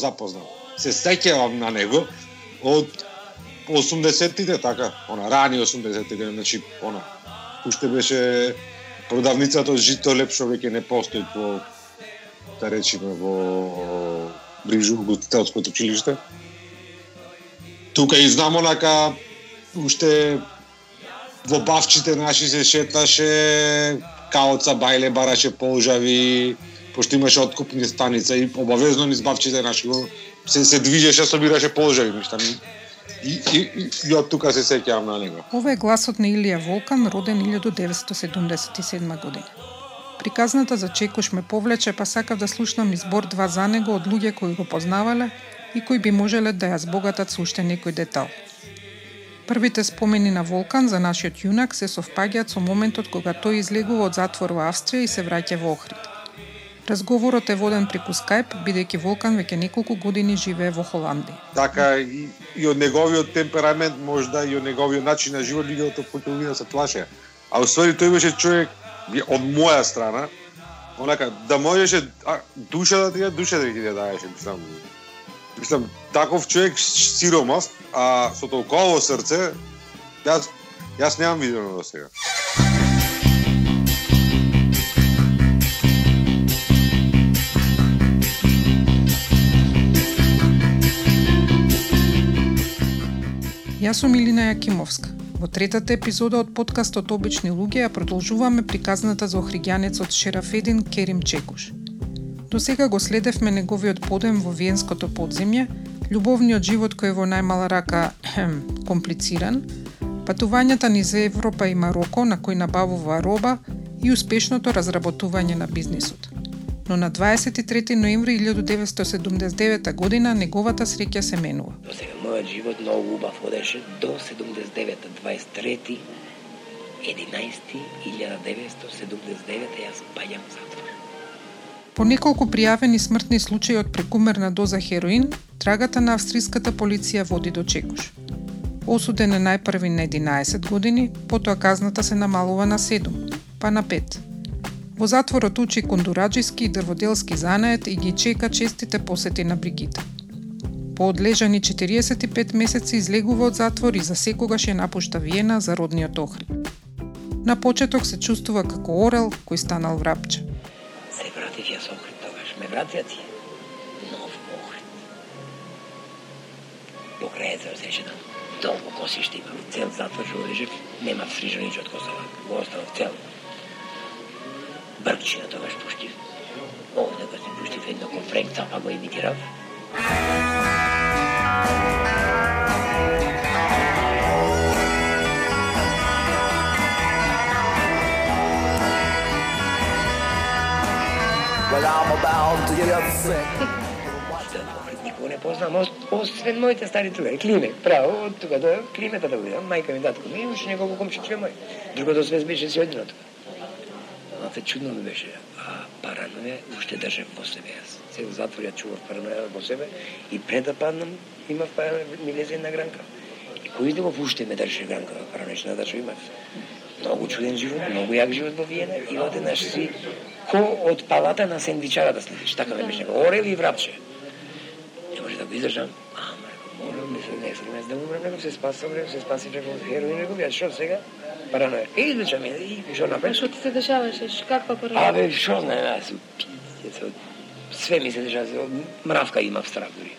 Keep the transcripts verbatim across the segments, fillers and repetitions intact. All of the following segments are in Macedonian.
запознал. Се сеќавам на него од осумдесеттите, така, она рани осумдесеттите, значи она уште беше продавницата од жито лепшо веќе не постои по, да речеме, во ближу ugostiteljskото училиште. Тука и знам онака уште во бавчите наши се шеташе, каоца бајле бараше полжави, пошто имаше откупни станица и обавезно низ бавчите наши се се движеше, собираше полжави, нешта. И, и, и, и од тука се сеќавам на него. Ова е гласот на Илија Волкан, роден илјадум деветстотини седумдесет и седма година. Приказната за Чекуш ме повлече, па сакав да слушнам избор два за него од луѓе кои го познавале и кои би можеле да ја збогатат со уште некој детал. Првите спомени на Волкан за нашиот јунак се совпаѓаат со моментот кога тој излегува од затвор во Австрија и се враќа во Охрид. Разговорот е воден преку Скајп, бидејќи Волкан веќе неколку години живее во Холандија. Така и, и од неговиот темперамент, можда и од неговиот начин на живот, луѓето почнаа да се плашеа. А уствари тој беше човек од моја страна, онака да можеше а, душа да ти ја душа да ти ја даеше, мислам. Мислам, таков човек сиромаст, а со толково срце, јас јас немам видено до сега. Јас сум Илина Јакимовска. Во третата епизода од подкастот Обични луѓе ја продолжуваме приказната за охриѓанецот Шерафедин Керим Чекуш. До сега го следевме неговиот подем во виенското подземје, љубовниот живот кој е во најмала рака хем, комплициран, патувањата низ Европа и Мароко на кој набавува роба и успешното разработување на бизнисот. Но на дваесет и трети ноември илјадум деветстотини седумдесет и девета година неговата среќа се менува. До сега мојот живот многу убав одеше до седумдесет и девета, дваесет и трети единаесети илјада деветстотини седумдесет и девета јас паѓам затвор. По неколку пријавени смртни случаи од прекумерна доза хероин, трагата на австриската полиција води до Чекуш. Осуден е најпрви на единаесет години, потоа казната се намалува на седум, па на пет. Во затворот учи кондураџиски и дрводелски занает и ги чека честите посети на Бригита. По одлежани четириесет и пет месеци излегува од затвор и за секогаш ја напушта Виена за родниот Охрид. На почеток се чувствува како орел кој станал врапче. Се вратив јас Охрид тогаш, ме вратија ти нов Охрид. Покрај езеро се шедам, долго косиште имам, цел затвор што лежев, нема фрижо ниче од Косова, го останав цел. Бркчина тогаш пуштив. Овде го си пуштив едно ко Френк Цапа го имитирав. Well, I'm about to get upset. Никога не познам, освен моите стари другари. Климек, право, од тука до Климета да го видам. Мајка ми, татко ми, имаше неколку комшичка мој. Другото све беше си одино тука. Малце чудно ми беше, а параноја уште држев во себе јас. Цел затвор ја чував параноја во себе и пред да паднам имав параноја, ми лезе една гранка. И кој изделов уште ме држи гранка, паранојчна држа имав. Многу чуден живот, многу јак живот во Виена и одеднаш си ко од палата на сендвичара да следиш. Така ме беше, орел и врапче. Не може да го издржам. Ама, морам, мислам, не срем, да умрем, некој се спасам, се спаси преко хероин, некој, јас шо сега? Параноја. И излеча ми, и шо направи? Што ти се дешаваше? Каква параноја? Абе, шо знае, јас пијец, све ми се дешава, мравка имав страх дури.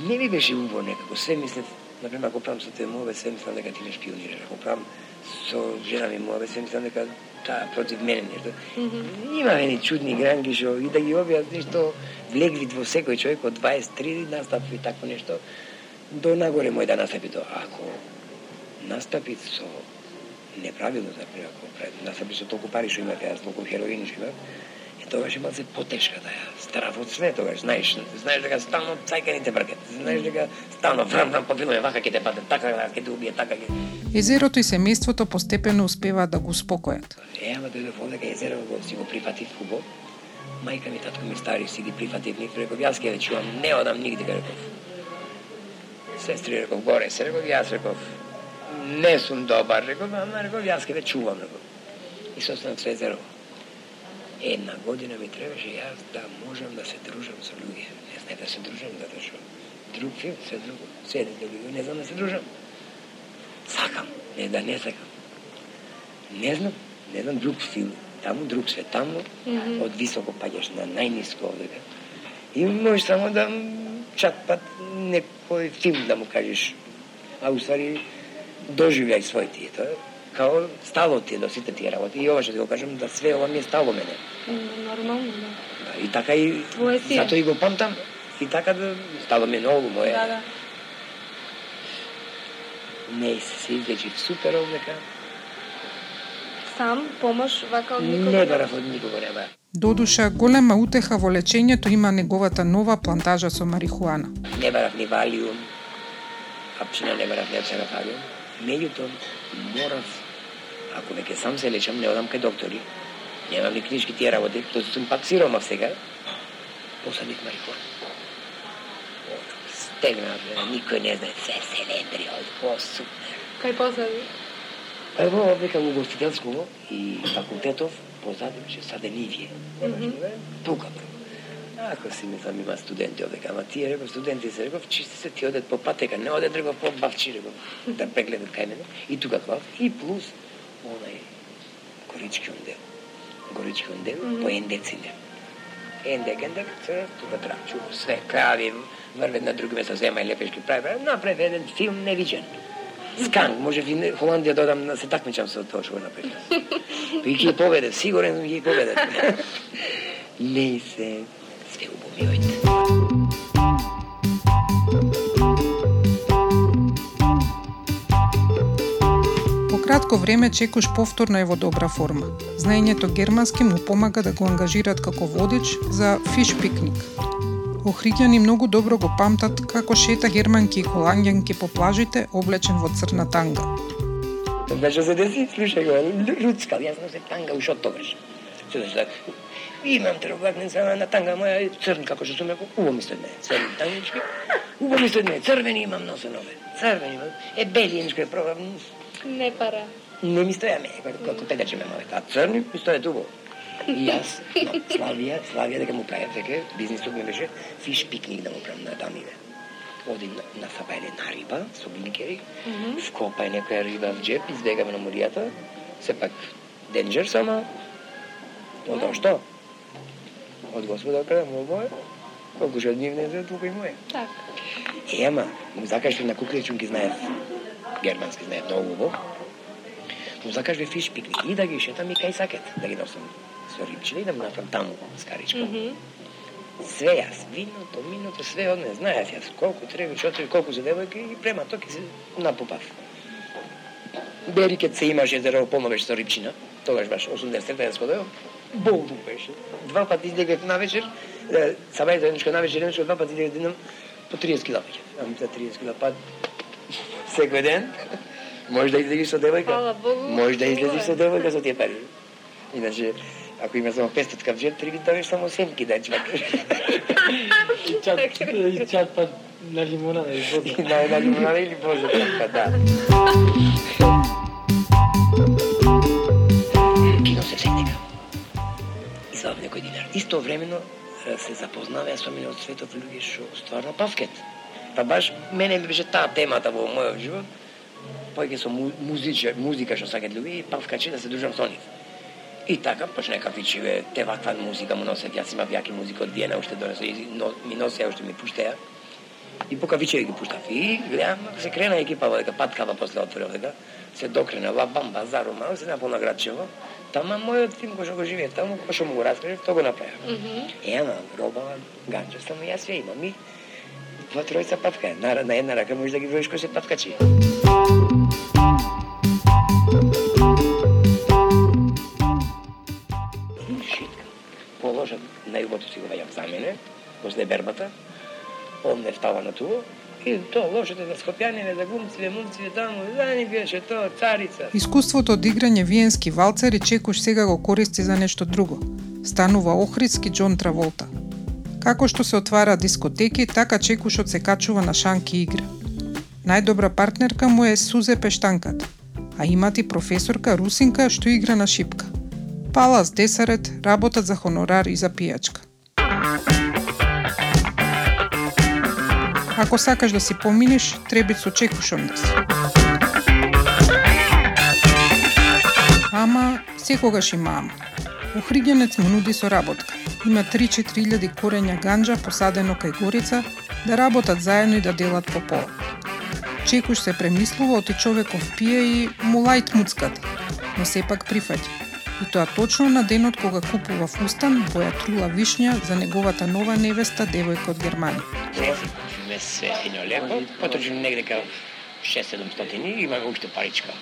Не ми беше убаво некако, све мислев, например, ако правам со те мове, све мислам дека ти не шпионираш, ако правам со жена ми мове, све мислам дека таа против мене нешто. Mm -hmm. Има едни чудни гранки шо и да ги објас нешто влегли во секој човек од дваесет и три настапи такво нешто, до нагоре мој да настапи тоа. Ако настапи со неправилно, например, ако настапи со толку пари што имав, јас толку хероин што имав, е тогаш имал се потешка да ја страв од све тогаш, знаеш, знаеш дека стално цајкани те бркат, знаеш дека стално врам врам попиламе, вака ќе те паде, така ќе те убие, така ќе. Езерото и семејството постепено успеваат да го успокојат. Е, ама дојдов овде кај езеро го си го прифатив хубаво. Мајка ми, татко ми стари си ги прифатив, нив реков, јас ќе ве чувам, не одам нигде, реков. Сестри реков, горе се реков, јас реков, не сум добар, реков, ама реков, јас ќе ве чувам, реков. И се останав со езеро. Една година ми требаше јас да можам да се дружам со луѓе. Не не да се дружам, затоа што друг филм, се друго, се друго, не знам да се дружам. Сакам, не да не сакам. Не знам, не знам друг филм, таму друг свет, таму mm-hmm. од високо паѓаш на најниско овдека. И можеш само да чак пат некој филм да му кажеш, а уствари доживљај своите. Тоа као стало ти е до сите тие работи. И ова што ти го кажам, да све ова ми е стало мене. Нормално, да. Да, и така и затоа и го памтам. И така да стало ми многу моја. Да, да. Не се излечи супер овдека. Сам помош вака од никога? Не барав од никога, не барав. Додуша, голема утеха во лечењето има неговата нова плантажа со марихуана. Не барав ни валиум, апшина не барав ни апсенафалиум. Меѓутоа, морав, ако веќе сам се лечам, не одам кај доктори. Немам ни книжки тие работи, тоа сум пак сиромав сега. Посадих марихуана. Стегнав, никој не знае, се селендри, о, супер. Кај посади? Ево, века у гостителско и факултетов, позади беше Саденивие. Mm-hmm. Тука прво. Ако си мислам има студенти овдека, ама тие реков, студенти се реков, чисти се ти одет по патека, не одет реков по бавчи реков, да прегледат кај мене. И тука клав, и плюс онај горички ондел. Горички ондел, mm-hmm. по ендецинер. Ендек, ендек, се тука трачу, све, крави, врвет на други места, зема и лепешки прави, направи еден филм невиđен. Сканг, може в Холандија додам да се такмичам со тоа што го направи. И ќе победе, сигурен сум ќе победе. Не се све убомивајте. По кратко време Чекуш повторно е во добра форма. Знаењето германски му помага да го ангажираат како водич за фиш пикник. Охриѓани многу добро го памтат како шета германки и холанѓанки по плажите облечен во црна танга. Тоа што се деси, слушај го, руцкал, јас носе танга уш од тогаш. Се да имам троглавница на танга моја црн, како што сум рекол, убаво ми стои мене, црни тангички, убаво ми стои мене, црвени имам носен ове, црвени имам, е белиенчко е пробав. Не пара. Не ми стоја мене, како педачи ме мове, а црни ми стоја убаво. И јас, no, Славија, Славија дека му правев веќе, бизнисот ми беше фиш пикник да му правам на дамиве. Одим на, на сабајле на риба, со блинкери, mm-hmm. вкопај некоја риба в джеп, избегаме на моријата, сепак денџер сама, од mm-hmm. што? Од Господа каде му моје, колку што од нив не знае, толку и моје. Так. Е, ама, му закажи на кукличун ги знаев, германски знаев многу убаво, му закажи фиш пикник и да ги шетам и кај сакет, да ги носам со рибчина и да му направам таму скаричка. Mm-hmm. Све јас, виното, миното, све од мене, знаев јас колку треба, чотири, колку за девојка и према токи се напупав. Берикет се имаше езеро полно беше со рибчина, тогаш баш осумдесет јас ходео, болно беше. Два пати излегав на вечер, сабајте едничко на вечер, едничко два пати излегав денам по триесет кила веќе. Ами за триесет кила пат секој ден. Може да излезеш со девојка. Фала Богу. Може да излезеш со девојка со тие пари. Иначе, ако има само петстотка в джеб, треба да давиш само семки да чвакаш. И чат, и чат пат на лимонада и боза. На, на лимонада или боза, па да. Кино се всегдека. И за некој динар. Истовремено се запознава со мене од светот луѓе што стварно павкет. Па баш мене ми беше таа темата во мојот живот. Појќе со музика, музика што сакат луѓе и павкачи да се дружам со нив. И така почне кафичиве, те ваква музика му носят, јас имав јаки музика од Виена, уште донесо, и но, ми носеа, уште ми пуштеа. И по кафичеве ги пуштав. И гледам, се крена екипа во дека паткава после отворил дека, се докрена Ла Бамба, Зарума, се наполна градчево. Тама мојот филм кој што го живее таму, кој што му го раскажев, тоа го направив. Mm -hmm. Е, ама, роба, ганча, само јас све имам и два тројца павка. На, на една рака можеш да ги броиш кој се павкачи. Положат најубото си го вајам за мене, после бербата, он не встава на тоа, и тоа лошите за скопјаниве, за гумциве, мумциве таму, да ни беше тоа, царица. Искуството од играње виенски валцери Чекуш сега го користи за нешто друго. Станува охридски Џон Траволта. Како што се отвара дискотеки, така Чекушот се качува на шанки игра. Најдобра партнерка му е Сузе Пештанката, а имати професорка Русинка што игра на шипка. Палас Десарет работат за хонорар и за пијачка. Ако сакаш да си поминеш, треба со чекушом да си. Ама, секогаш има ама. Охридјанец му нуди соработка. Има три-четири илјади корења ганџа посадено кај горица да работат заедно и да делат по пола. Чекуш се премислува, оти човеков пие и му лајт муцката, но сепак прифаќа. И тоа точно на денот кога купува фустан, боја трула вишња за неговата нова невеста, девојка од Германија. Ме се едно лепо, потрчим негде кај шест-седумстотини и имаме уште паричка.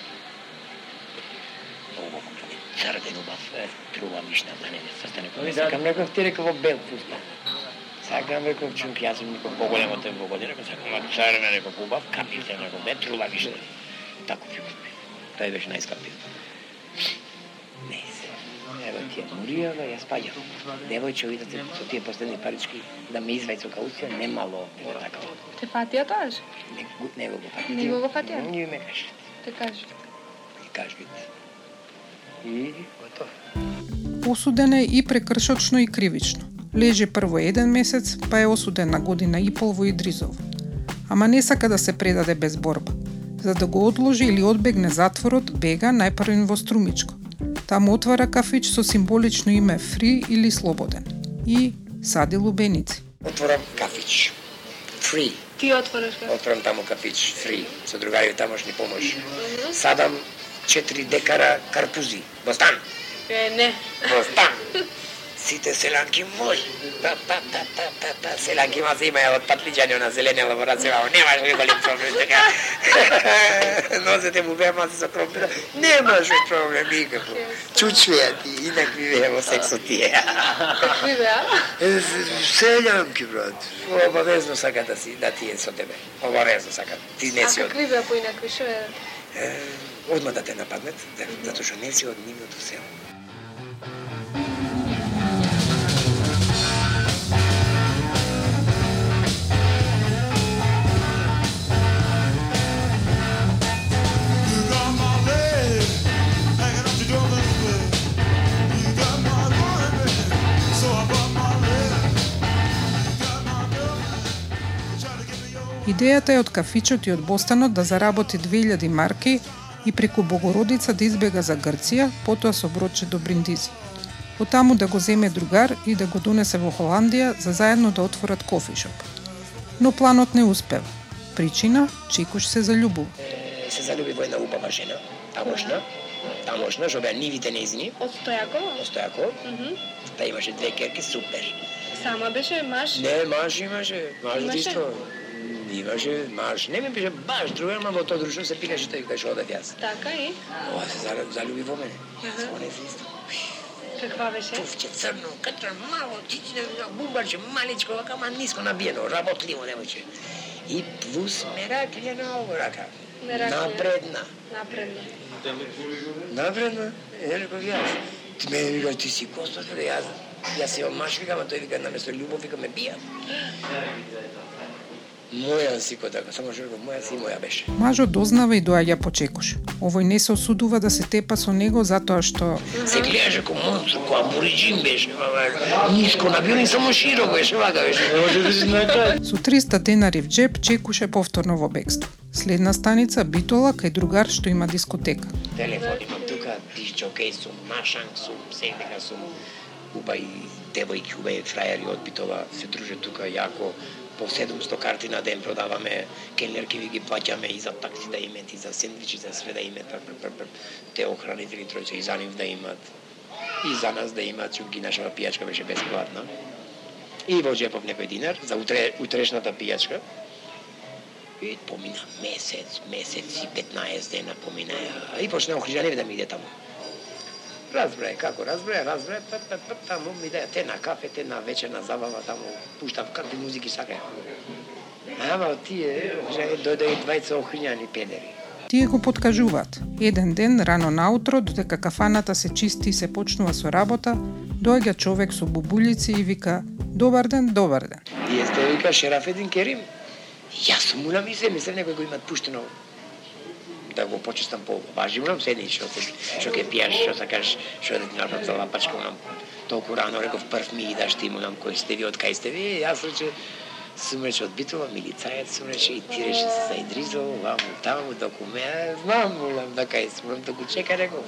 Црден убав, трула вишна за невеста, стане кој. Сакам реков, ти реков во бел фустан. Сакам реков, чум ќе јас сум никој поголем од тој во година, сакам ма црвен реков убав, капите реков бе, трула вишна. Тако ќе купи. Тој беше најскапиот. Не се. Ево ти е Муријава, јас паѓам. Девојче, видите со тие последни парички да ме извај со кауција, немало не така. Те фатија тоаш? Не, не го фатија. Не го фатија? Не ме кажи. Те кажи. И кажи. И готов. Осуден е и прекршочно и кривично. Лежи прво еден месец, па е осуден на година и пол во Идризово. Ама не сака да се предаде без борба. За да го одложи или одбегне затворот, бега најпрвен во Струмичко. Таму отвара кафич со символично име Фри или Слободен. И сади лубеници. Отворам кафич. Фри. Ти отвораш кафич? Отворам таму кафич. Фри. Со другари тамошни помош. Садам четири декара карпузи. Во стан. Е, не. Во стан. Сите селанки мои. Па, па, па, па, па, па. Селанки ма се имаја од патлиџани на зелени лаборација. Немаш ли голем проблем така. Носете му бема се со кромпира. Немаш проблем никако. Чучвеја ти, инакви беа во сексот тие. Какви беа? Селјанки, брат. Обавезно сака да си, да ти е со тебе. Обавезно сака. Ти не А си од... какви беа поинакви, шо е? Одма да те нападнет, затоа што не си од нивното село. Идејата е од кафичот и од бостанот да заработи две илјади марки и преку Богородица да избега за Грција, потоа со бродче до Бриндизи. Оттаму да го земе другар и да го донесе во Холандија за заедно да отворат кофишоп. Но планот не успева. Причина, Чекуш се заљубува. Се залюби во една убава жена, тамошна, тамошна, што беа нивите нејзини. Од Стојакова? Од Стојакова. Та имаше две керки, супер. Сама беше маж? Не, маж имаше, маж Имаше? исто. Имаше маж. Не ми беше баш другар, ма во тоа друштво се пикаше тој кај што одев јас. Така и? Ова се за- залюби во мене. Со не се исто. Каква беше? Пуфче црно, катра мало, чичне, бумбарче, маличко, вака, ма ниско набиено, работливо девојче. И плюс мераклјена ово рака. Мераклјена. Напредна. Напредна. Напредна? Е, реков јас. Ти ме вика, ти си Костас, бе, јас, јас си омаш, викам, а тој вика, наместо љубов, вика, ме бија. Моја си ко така, само што реков, моја си моја беше. Мажот дознава и доаѓа по Чекуш. Овој не се осудува да се тепа со него затоа што Се гледаше ко монстр, ко абориджин беше, баба, ниско набио и само широко беше, вака беше. со триста денари в джеб Чекуш е повторно во бегство. Следна станица Битола кај другар што има дискотека. Телефон имам тука, дисчокеј сум, машанг сум, секдека сум, убај девојки, убај фрајери од Битола, се друже тука јако, по седумсто карти на ден продаваме, келнерки ви ги плаќаме и за такси да имат, и за сендвичи, за све да имат, те охранители тројца и за нив да имат, и за нас да имат, чуки нашава пијачка беше бесплатна. И во джепов некој динар, за утре, утрешната пијачка. И помина месец, месец и петнаесет дена помина, и почна охрижани да ми иде таму. Разбрај, како разбрај, разбрај, па, па, па, таму ми даја те на кафе, те на вечерна забава, таму пуштав какви музики сакаја. Ама тие, дојде и двајца охрињани педери. Тие го подкажуваат. Еден ден, рано наутро, додека кафаната се чисти и се почнува со работа, доаѓа човек со бубулици и вика «Добар ден, добар ден». И сте вика Шерафедин Керим. Јас сум мулам и се, мислам некој го имат пуштено да го почестам по важивно, седни што што ќе пиеш, што сакаш, што да ти направат за лапачка, нам толку рано реков прв ми идаш ти мулам кој сте ви, од кај сте ви, јас рече Сум рече од Битола, милицајец сум рече и ти рече се заидризал, ваму, таму, документ, знам, молам, да кај сум, да го чека, реков.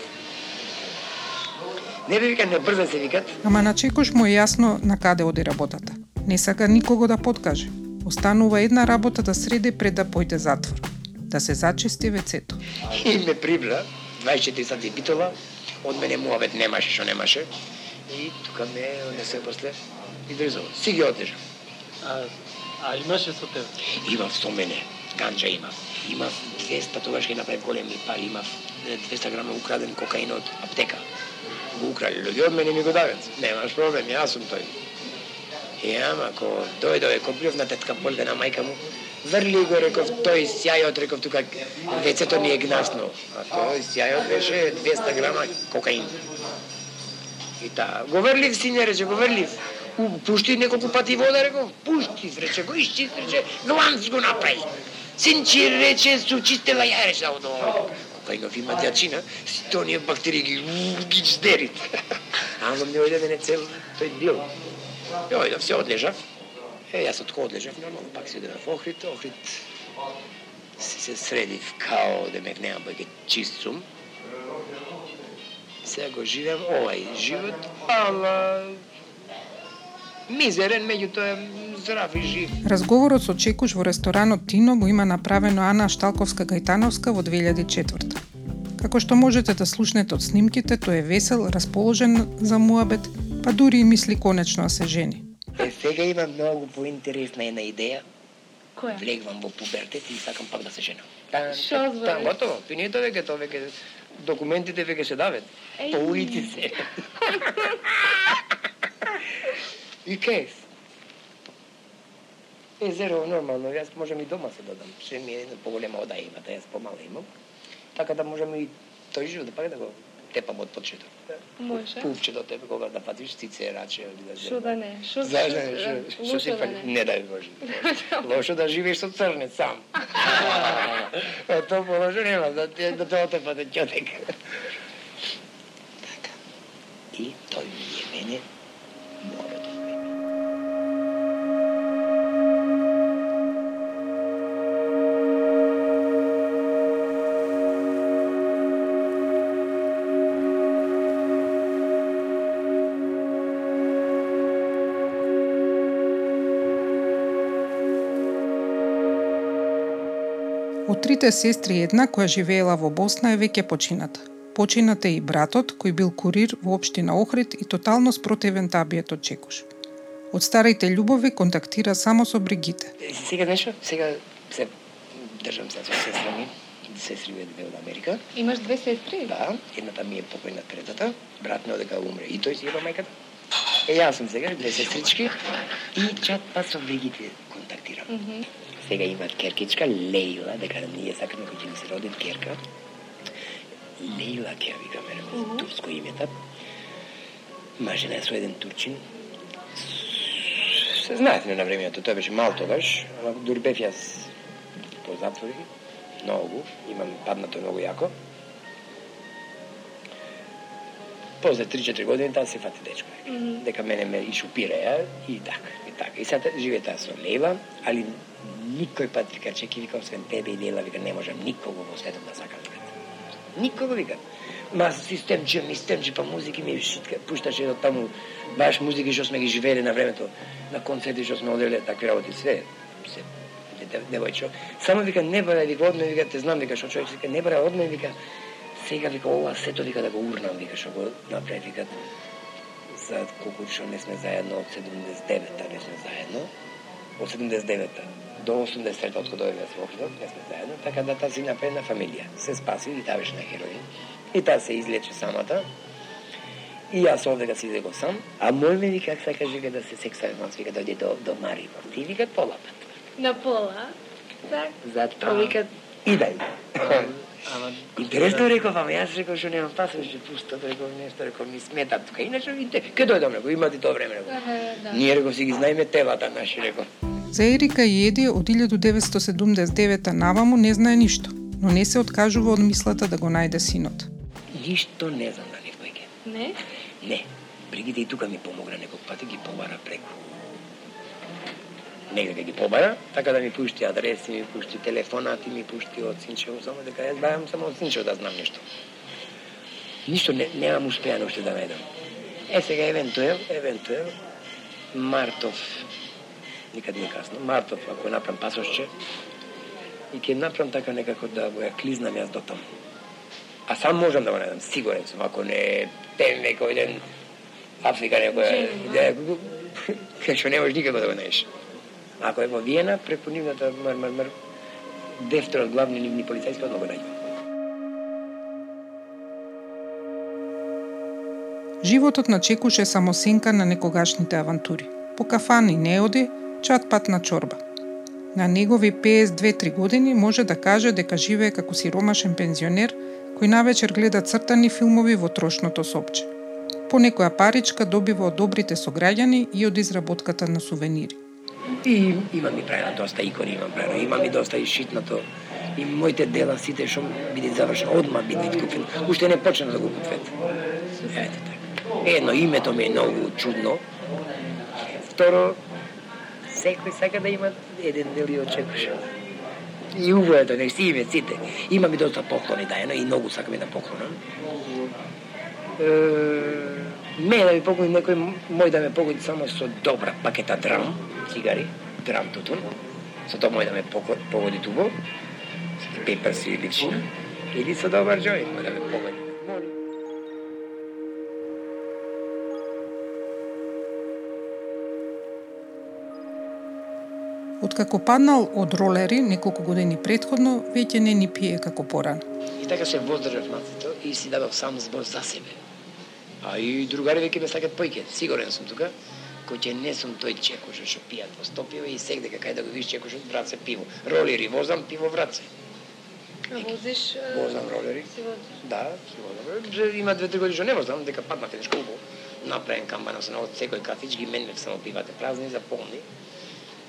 Не бе вика, не брза се викат. Ама на Чекош му е јасно на каде оди работата. Не сака никого да подкаже. Останува една работа да среди пред да појде затвор. Да се зачисти вецето. И ме прибра, дваесет и четири сати Битола, од мене муабет немаше, што немаше. И тука ме однесе после и држал. Си ги одлежа. А, а имаше со тебе? Имав со мене, ганџа имав. Имав двеста, тогаш ќе направи големи пари, имав двеста грама украден кокаин од аптека. Го украли луѓе од мене ми го дават. Немаш проблем, јас сум тој. И ама, ако дојдове, ко плюв на тетка Полга, на мајка му, врли го, реков, тој сјајот, реков, тука вецето ми е гнасно. А тој сјајот беше двеста грама кокаин. И та, го врлив, сине, рече, го врлив. Пушти неколку пати вода, реков, пушти, рече, го исчист, рече, гланц го направи. Синчи, рече, су чистела ја, рече, од кокаинов има дјачина, си тонија бактерии ги, ги здерит. Ама не ојде мене цел тој дил. Ја ојдов, се одлежав. Е, јас од кој одлежав, нормално, пак си одев во Охрид, Охрид си се средив као да ме нема бајке чист сум. Сега го живеам овај живот, ала мизерен, меѓутоа здрав и жив. Разговорот со Чекуш во ресторанот Тино го има направено Ана Шталковска-Гајтановска во две илјади и четврта. Како што можете да слушнете од снимките, тој е весел, расположен за муабет, па дури и мисли конечно да се жени. Е, сега имам многу поинтересна една идеја. Која? Влегвам во пубертет и сакам пак да се женам. Шо збориш? Та, готово. Финито веќе, тоа веќе документите веќе се дават. Еј. По улици се. И кај? Е, зеро, нормално, јас можам и дома се додам. Ше ми е една поголема ода имата, јас помала имам. Така да можам и тој живот да пак да го тепам од почеток. Може. Пувче до тебе кога да патиш цице, раче, или да Шо да не? Шо Зашто не? Шо- Шо си Лошо да фали? не? Не дај Боже. Лошо да живееш со црнец сам. А тоа положо нема, да те да те отепате ќотек. Така. И тој ми е мене мојот. Од трите сестри една која живеела во Босна е веќе почината. Починат е и братот, кој бил курир во општина Охрид и тотално спротивен табието Чекуш. Од старите љубови контактира само со Бригите. Сега нешто, сега се држам се со сестра ми, сестри ми две од Америка. Имаш две сестри? Да, едната ми е покојна третата, брат ми одека умре и тој си еба мајката. Е, јас сум сега, две сестрички и чат па со Бригите контактирам. Мгм. Сега имат керкичка Лејла, дека ние сакаме кој ќе ми се роди керка. Лејла ќе ја викаме, mm-hmm. турско името. Мажена е со еден турчин. Се знаете на времето, тој беше мал тогаш, ама дури бев јас по затвори, многу, имам паднато многу јако. После три-четири години таа се фати дечко. Мгм. Дека мене ме и шупираја и така, и така. И сега живее таа со Лејла, али никој пат вика, чеки, вика, освен тебе и Лејла, вика, не можам никого во светот да сакам, вика. Никого, вика. Ма системче, мистемче, па музики ми шитка, пушташе од таму, баш музики што сме ги живееле на времето, на концерти што сме оделе, такви работи, све, се, девојчо. Само вика, не бара, вика, одме, вика, те знам, вика, што човек, вика, не бара, одме, вика, сега, вика, ова сето, вика, да го урнам, вика, што го направи, вика, за колку што не сме заедно, од седумдесет и девета не сме заедно, од седумдесет и девета до осумдесет и трета, од кога дојдовме во Охрид, не сме заедно, така да таа си направи на фамилија. Се спаси и таа беше на хероин. И таа се излече самата. И јас овдека си излегов сам, а мој ме вика, сакаш, вика, да се сексуален, вика, дојде до, до Марибор. Ти вика пола пат. На пола? Так. Затоа вика, идај. Ама Интересно реков, ама јас реков што немам пасош, што пусто, реков нешто, реков ми смета тука. Иначе видите, ке дојдам, реков, имате тоа време, реков. Да. Ние, реков, си ги знаеме телата наши, реков. За Ерика и Еди од илјадум деветстотини седумдесет и девета наваму не знае ништо, но не се откажува од мислата да го најде синот. Ништо не знам на нив бајке. Не? Не. Бригите и тука ми помогна некој пат и ги побара преку негде ги побара, така да ми пушти адреси, ми пушти телефонати, ми пушти од Синчево, само дека јас бајам само од Синчево да знам нешто. Ништо не, немам успеано уште да најдам. Е, сега, евентуел, евентуел, Мартов, никад не касно, Мартов, ако направам пасошче, и ќе направам така некако да го ја клизнам јас до таму. А сам можам да го најдам, сигурен сум, ако не пеем некој ден Африка некоја, кај што не можеш никако да го најдеш. Ако е во Виена, преку нивната мар, мар, мар, дефтерот главни нивни полицајски, одно го најдам. Животот на Чекуш е само сенка на некогашните авантури. По кафани не оди, чат пат на чорба. На негови пеесет и две три години може да каже дека живее како сиромашен пензионер кој навечер гледа цртани филмови во трошното сопче. По некоја паричка добива од добрите сограѓани и од изработката на сувенири. И имам и правено доста икони, имам правено, имам и доста и шитнато. И моите дела сите што биде завршено, одма биде купен. Уште не почнам да го купвет. Ете така. Едно, името ми е многу чудно. Второ, секој сака да има еден дел и од Чекуш. И увоето, не си име сите. Имам и доста поклони дајано и многу сакам и да поклонам. Ме да ми погоди некој, мој да ме погоди само со добра пакета драм, цигари, драм тутун. Со тоа мој да ме погоди тубо, со пеперси и личина. Или со добар джој, мој да ме погоди. Откако паднал од ролери неколку години претходно, веќе не ни пие како порано. И така се воздржав мацето и си дадов сам збор за себе. А и другари веќе ме сакат поиќе. Сигурен сум тука, кој ќе не сум тој Чекуш што пијат во Стопиево и сек дека кај да го видиш Чекушот враце пиво. Ролери возам, пиво враце. А возиш? Возам ролери. Си возиш? Да, си возам. Има две три години што не возам, дека паднав еднаш колку. Направен камбана се од секој кафич, ги менев само пивате празни за полни.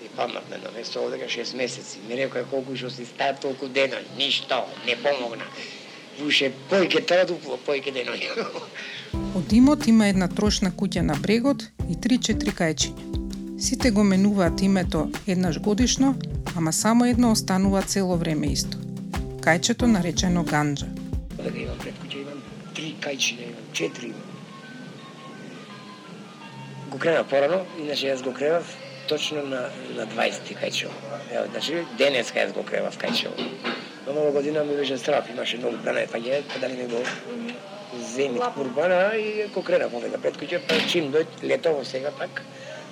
И паднав на едно место овдека шест месеци. Ми рекоа колку што си стаја толку деној, ништо, не помогна. Вуше појке традупо, појке деној. Од имот има една трошна куќа на брегот и три-четири кајчиња. Сите го менуваат името еднаш годишно, ама само едно останува цело време исто. Кајчето наречено ганџа. Дека имам пред куќа, имам три кајчиња, имам четири имам. Го кренав порано, иначе јас го кренав точно на, на дваесети кајчево. Ево, значи, денеска јас го кревав кајчево. Но нова година ми беше страв, имаше многу пране паѓе, па дали ми го земит курбана и го кренав овека пред куќа, па чим дојд летово сега пак,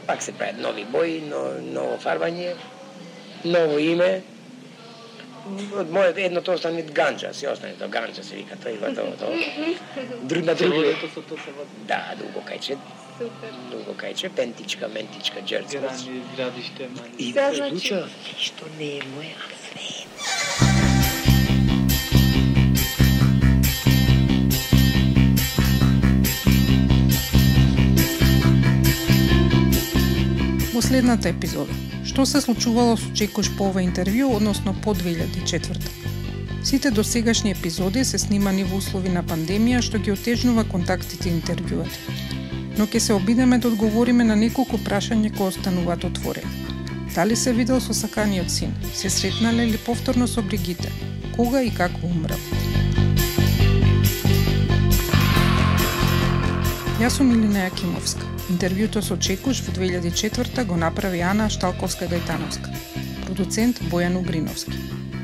пак се прават нови бои, но, ново фарбање, ново име. Од мојот едното остане ганџа, се остане тоа ганџа се вика, тоа и готово тоа. Друг на друго. Да, друго кајче. Супер. Друго кајче, пентичка, ментичка, джерцка. Грани, градиште, мани. И Се се значи- случува, ништо не е моја, а све. Во следната епизода, што се случувало со Чекуш по ова интервју, односно по две илјади и четврта. Сите досегашни епизоди се снимани во услови на пандемија, што ги отежнува контактите и интервјуата. Но ќе се обидеме да одговориме на неколку прашања кои остануваат отворени. Дали се видел со саканиот син? Се сретнале ли повторно со Бригите? Кога и како умрел? Јас сум Илина Јакимовска. Интервјуто со Чекуш во две илјади и четврта го направи Ана Шталковска-Гајтановска. Продуцент Бојан Угриновски.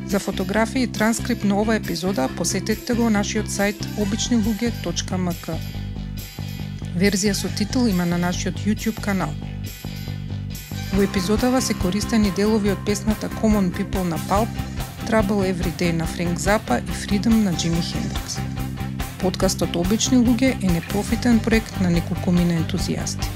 За фотографии и транскрипт на ова епизода посетете го нашиот сајт обични луѓе точка ем ка. Верзија со титул има на нашиот YouTube канал. Во епизодава се користени делови од песната Common People на Pulp, Trouble Every Day на Френк Запа и Freedom на Джими Хендрикс. Подкастот Обични луѓе е непрофитен проект на неколкумина ентузијасти.